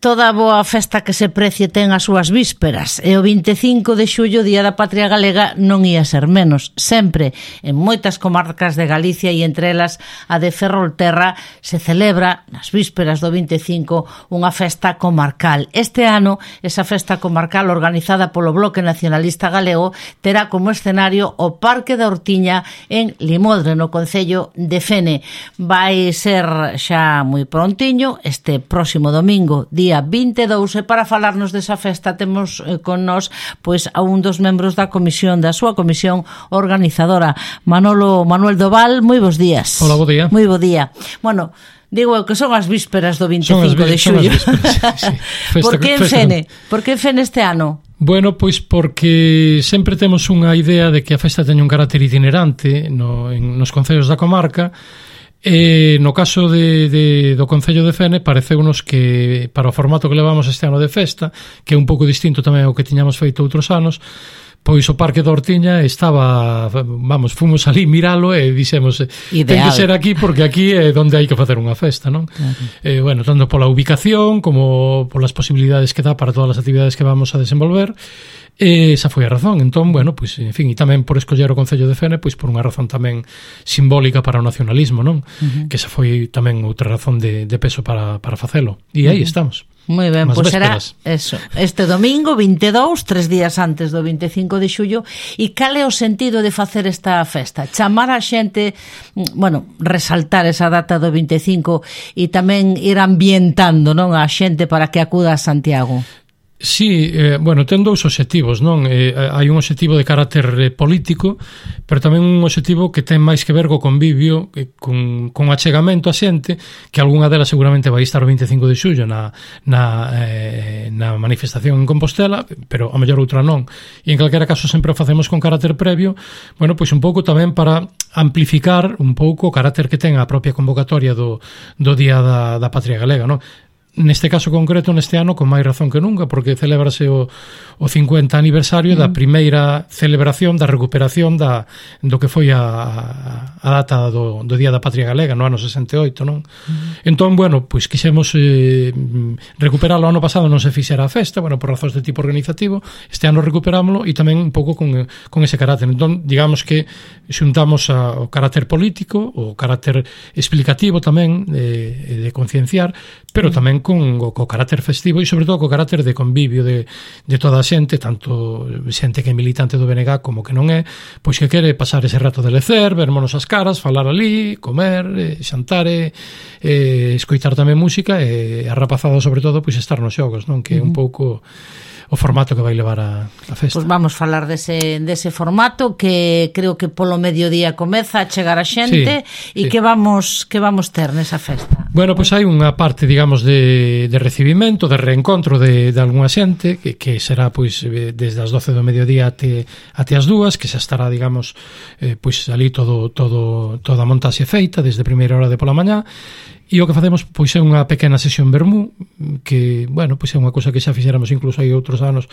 Toda boa festa que se precie ten as súas vísperas e o 25 de xullo, Día da Patria Galega, non ia ser menos. Sempre, en moitas comarcas de Galicia e entre elas a de Ferrolterra, se celebra nas vísperas do 25 unha festa comarcal. Este ano, esa festa comarcal organizada polo Bloque Nacionalista Galego terá como escenario o Parque da Hortiña en Limodre, no concello de Fene. Vai ser xa moi prontiño, este próximo domingo, día 22, e para falarnos desa festa temos con nós pois a un dos membros da comisión, da súa comisión organizadora, Manuel Doval. Moi bons días. Hola, bo día. Moi bo día. Bueno, digo eu que son as vísperas do 25 de xullo. Sí. Por que en Fene? Por que en Fene este ano? Bueno, pois porque sempre temos unha idea de que a festa teña un carácter itinerante nos concellos da comarca. E no caso do Concello de Fene pareceunos que para o formato que levamos este ano de festa, que é un pouco distinto tamén ao que tiñamos feito outros anos, pois o Parque da Hortiña estaba, fomos ali miralo e dixemos, ten que ser aquí porque aquí é onde hai que facer unha festa, non? Bueno, tanto pola ubicación como polas posibilidades que dá para todas as actividades que vamos a desenvolver. Esa foi a razón. Entón, bueno, pois, en fin, e tamén por escoller o Concello de Fene, pois por unha razón tamén simbólica para o nacionalismo, non? Que esa foi tamén outra razón de peso para facelo. E aí estamos. Moi ben, pois será eso, este domingo 22, 3 días antes do 25 de xullo. E cal é o sentido de facer esta festa? Chamar a xente, bueno, resaltar esa data do 25 e tamén ir ambientando, non, a xente para que acuda a Santiago. Sí, bueno, ten dous obxectivos, non? Hai un obxectivo de carácter político, pero tamén un obxectivo que ten máis que ver co convivio, con achegamento a xente, que algunha delas seguramente vai estar o 25 de xullo na manifestación en Compostela, pero a mellor outra non. E en calquera caso sempre o facemos con carácter previo, bueno, pois un pouco tamén para amplificar un pouco o carácter que ten a propia convocatoria do Día da Patria Galega, non? Neste caso concreto, neste ano, con máis razón que nunca, porque celebrase o 50 aniversario da primeira celebración da recuperación do que foi a data do Día da Patria Galega no ano 68, non? Entón, bueno, pois quixemos recuperarlo. O ano pasado non se fixera a festa, bueno, por razóns de tipo organizativo. Este ano recuperámoslo e tamén un pouco con ese carácter. Entón, digamos que xuntamos o carácter político, o carácter explicativo tamén, de concienciar, pero tamén co carácter festivo e sobre todo co carácter de convivio de toda a xente, tanto xente que é militante do BNG como que non é, pois que quere pasar ese rato de lecer, vermonos as caras, falar ali, comer, xantar, escoitar tamén música e a rapazada sobre todo pois estar nos xogos, non? Que é un pouco o formato que vai levar a festa. Pois vamos falar dese formato que creo que polo mediodía comeza a chegar a xente. E que vamos ter nesa festa. Bueno, pois hai unha parte, digamos, de recibimento, de reencontro de algunha xente que será pois desde as 12 do mediodía até as 2, que xa estará, digamos, pois ali toda a montaxe feita desde primeira hora de pola mañá. E o que facemos pois é unha pequena sesión vermú, que, bueno, pois é unha cousa que xa fixéramos incluso hai outros anos,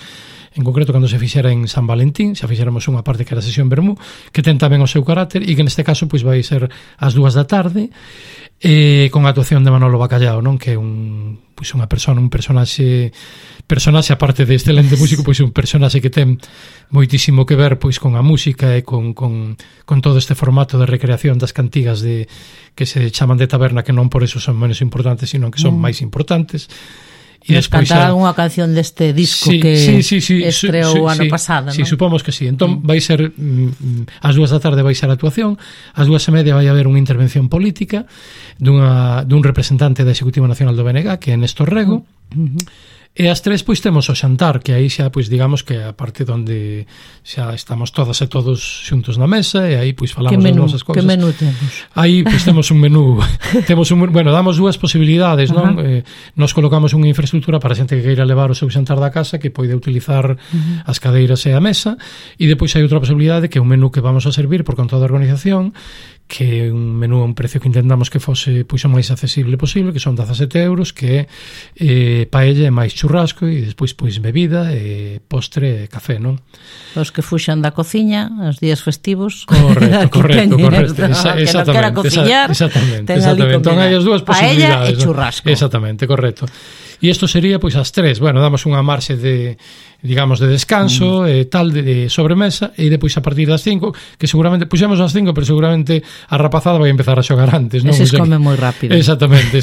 en concreto cando se fixera en San Valentín, xa fixéramos unha parte que era a sesión vermú, que ten tamén o seu carácter e que neste caso pois vai ser ás 2 da tarde, con a actuación de Manolo Bacallao, non? Que é un personaxe aparte de excelente músico, pois un personaxe que ten moitísimo que ver pois con a música e con todo este formato de recreación das cantigas que se chaman de taberna, que non por eso son menos importantes, sino que son máis importantes. E despois cantar algunha canción deste disco que estreou o ano pasado, non? Sí, supomos que sí. Entón vai ser ás 2 da tarde vai ser a actuación, ás 2:30 vai haber unha intervención política dun representante da Executiva Nacional do BNG, que é Néstor Rego. E ás 3 pois temos o xantar, que aí xa pois digamos que a parte onde xa estamos todas e todos xuntos na mesa e aí pois falamos das nosas cousas. Que menú temos? Aí pois temos un menú, bueno, damos dúas posibilidades, non? Nos colocamos unha infraestructura para a xente que queira levar o seu xantar da casa, que pode utilizar as cadeiras e a mesa, e depois hai outra posibilidade que é un menú que vamos a servir por conta da organización, que é un menú a un precio que intentamos que fose pois o máis accesible posible, que son 17 euros, que é paella e máis churros churrasco e despois pois bebida e postre e café, non? Os que fuxan da cociña os días festivos. Correcto. Exactamente. Entón hai as dúas posibilidades. Paella e churrasco. Exactamente, correcto. E isto sería pois as 3. Bueno, damos unha marxe de digamos de descanso e tal de sobremesa e depois a partir das 5, que seguramente puxemos as 5, pero seguramente a rapazada vai empezar a xogar antes, non? Eses come moi rápido. Exactamente,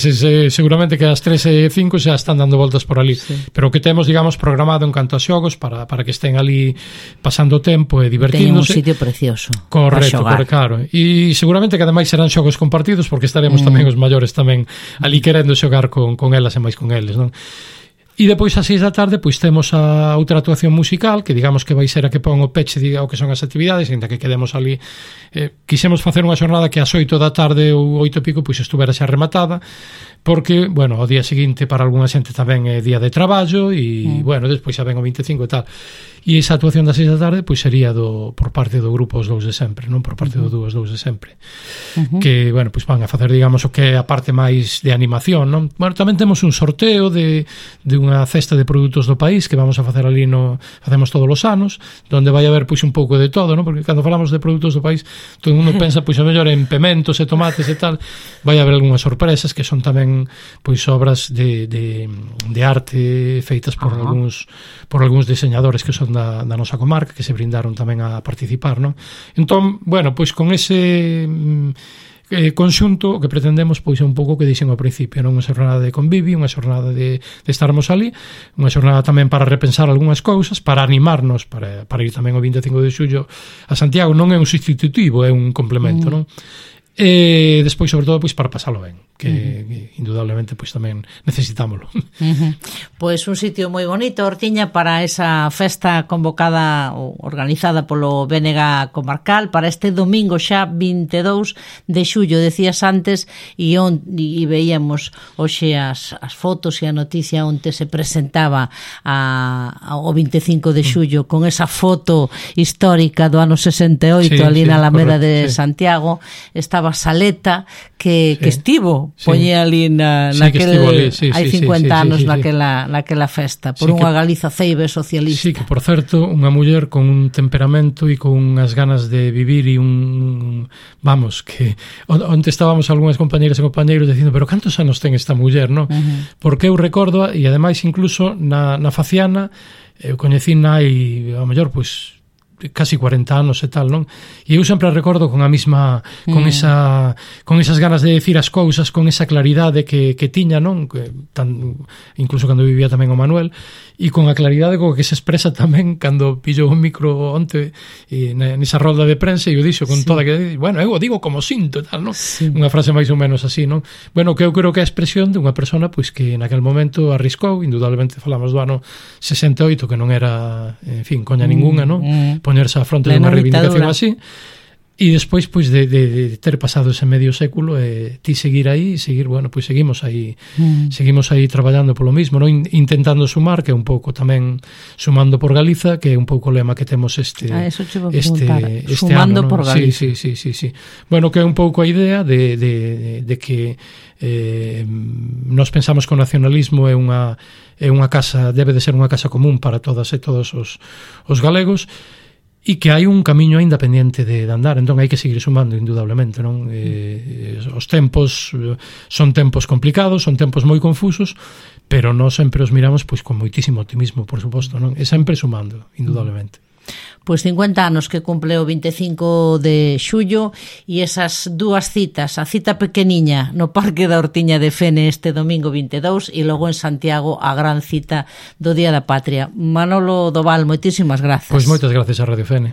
seguramente que as 3 e 5 xa están dando voltas por ali, sí. Pero que temos, digamos, programado en canto a xogos para que estén ali pasando o tempo e divertíndose. Teñen un sitio precioso. Correcto, claro. E seguramente que ademais serán xogos compartidos porque estaremos tamén os maiores tamén ali querendo xogar con elas e máis con eles, non? E depois ás 6 da tarde pois temos a outra actuación musical que digamos que vai ser a que pon o peche ao que son as actividades, ainda que quedemos ali quixemos facer unha xornada que ás 8 da tarde ou 8 e pico pois estuvera xa rematada porque, bueno, o día seguinte para algunha xente tamén é día de traballo e, bueno, despois xa ven o 25 e tal. E esa actuación das 6 da tarde pois sería por parte do grupo Os Dous de Sempre, non por parte do Dúo Os Dous de Sempre. Que, bueno, pois van a facer, digamos, o que é a parte máis de animación, non? Bueno, tamén temos un sorteo de unha cesta de produtos do país que vamos a facer ali facemos todos os anos, onde vai haber pois un pouco de todo, non? Porque cando falamos de produtos do país, todo o mundo pensa pois a mellor en pementos e tomates e tal. Vai haber algunhas sorpresas que son tamén pois obras de arte feitas por algúns diseñadores que son da nosa comarca, que se brindaron tamén a participar, non? Entón, bueno, pois con ese conxunto o que pretendemos pois é un pouco que dixen ao principio, non? Unha xornada de convivio, unha xornada de estarmos ali, unha xornada tamén para repensar algunhas cousas, para animarnos para ir tamén o 25 de xullo a Santiago. Non é un sustitutivo, é un complemento, non? E despois, sobre todo, pois para pasalo ben, que indudablemente pois tamén necesitámoslo. Pois un sitio moi bonito, Ortiña, para esa festa convocada ou organizada polo BNG Comarcal para este domingo xa 22 de xullo, decías antes, e veíamos hoxe as fotos e a noticia onde se presentaba o 25 de xullo con esa foto histórica do ano 68 ali na Alameda de Santiago. Estaba Saleta que estivo poñía ali hai 50 anos naquela festa por unha Galiza ceibe socialista. Sí, que por certo unha muller con un temperamento e con unhas ganas de vivir e vamos, que onde estábamos algunhas compañeras e compañeiros dicindo, pero cantos anos ten esta muller, non? Porque eu recordo, e ademais incluso na Faciana eu coñecina hai ao mellor pois casi 40 anos e tal, non? E eu sempre recordo con a mesma con esas ganas de decir as cousas, con esa claridade que tiña, non? Incluso cando vivía tamén o Manuel, e con a claridade co que se expresa tamén cando pillou un micro onte nesa rolda de prensa e o dixo con toda que, bueno, eu o digo como sinto e tal, non? Unha frase máis ou menos así, non? Bueno, que eu creo que é a expresión de unha persona pois que naquel momento arriscou, indudablemente falamos do ano 68, que non era, en fin, coña ningunha, non? Poñerse á fronte de unha reivindicación así. E despois pois de ter pasado ese medio século ti seguir aí, bueno, pois seguimos aí traballando polo mismo, non? Intentando sumar, que é un pouco tamén sumando por Galiza, que é un pouco o lema que temos este sumando ano, por Galiza. Sí. Bueno, que é un pouco a idea de que nós pensamos que o nacionalismo é unha casa, debe de ser unha casa común para todas e todos os galegos, e que hai un camiño aínda pendiente de andar, entón hai que seguir sumando indudablemente, non? Os tempos son tempos complicados, son tempos moi confusos, pero nós sempre os miramos pois con moitísimo optimismo, por suposto, non? E sempre sumando, indudablemente. Pois 50 anos que cumple o 25 de xullo e esas dúas citas, a cita pequeniña no Parque da Ortiña de Fene este domingo 22 e logo en Santiago a gran cita do Día da Patria. Manolo Doval, moitísimas grazas. Pois moitas grazas a Radio Fene.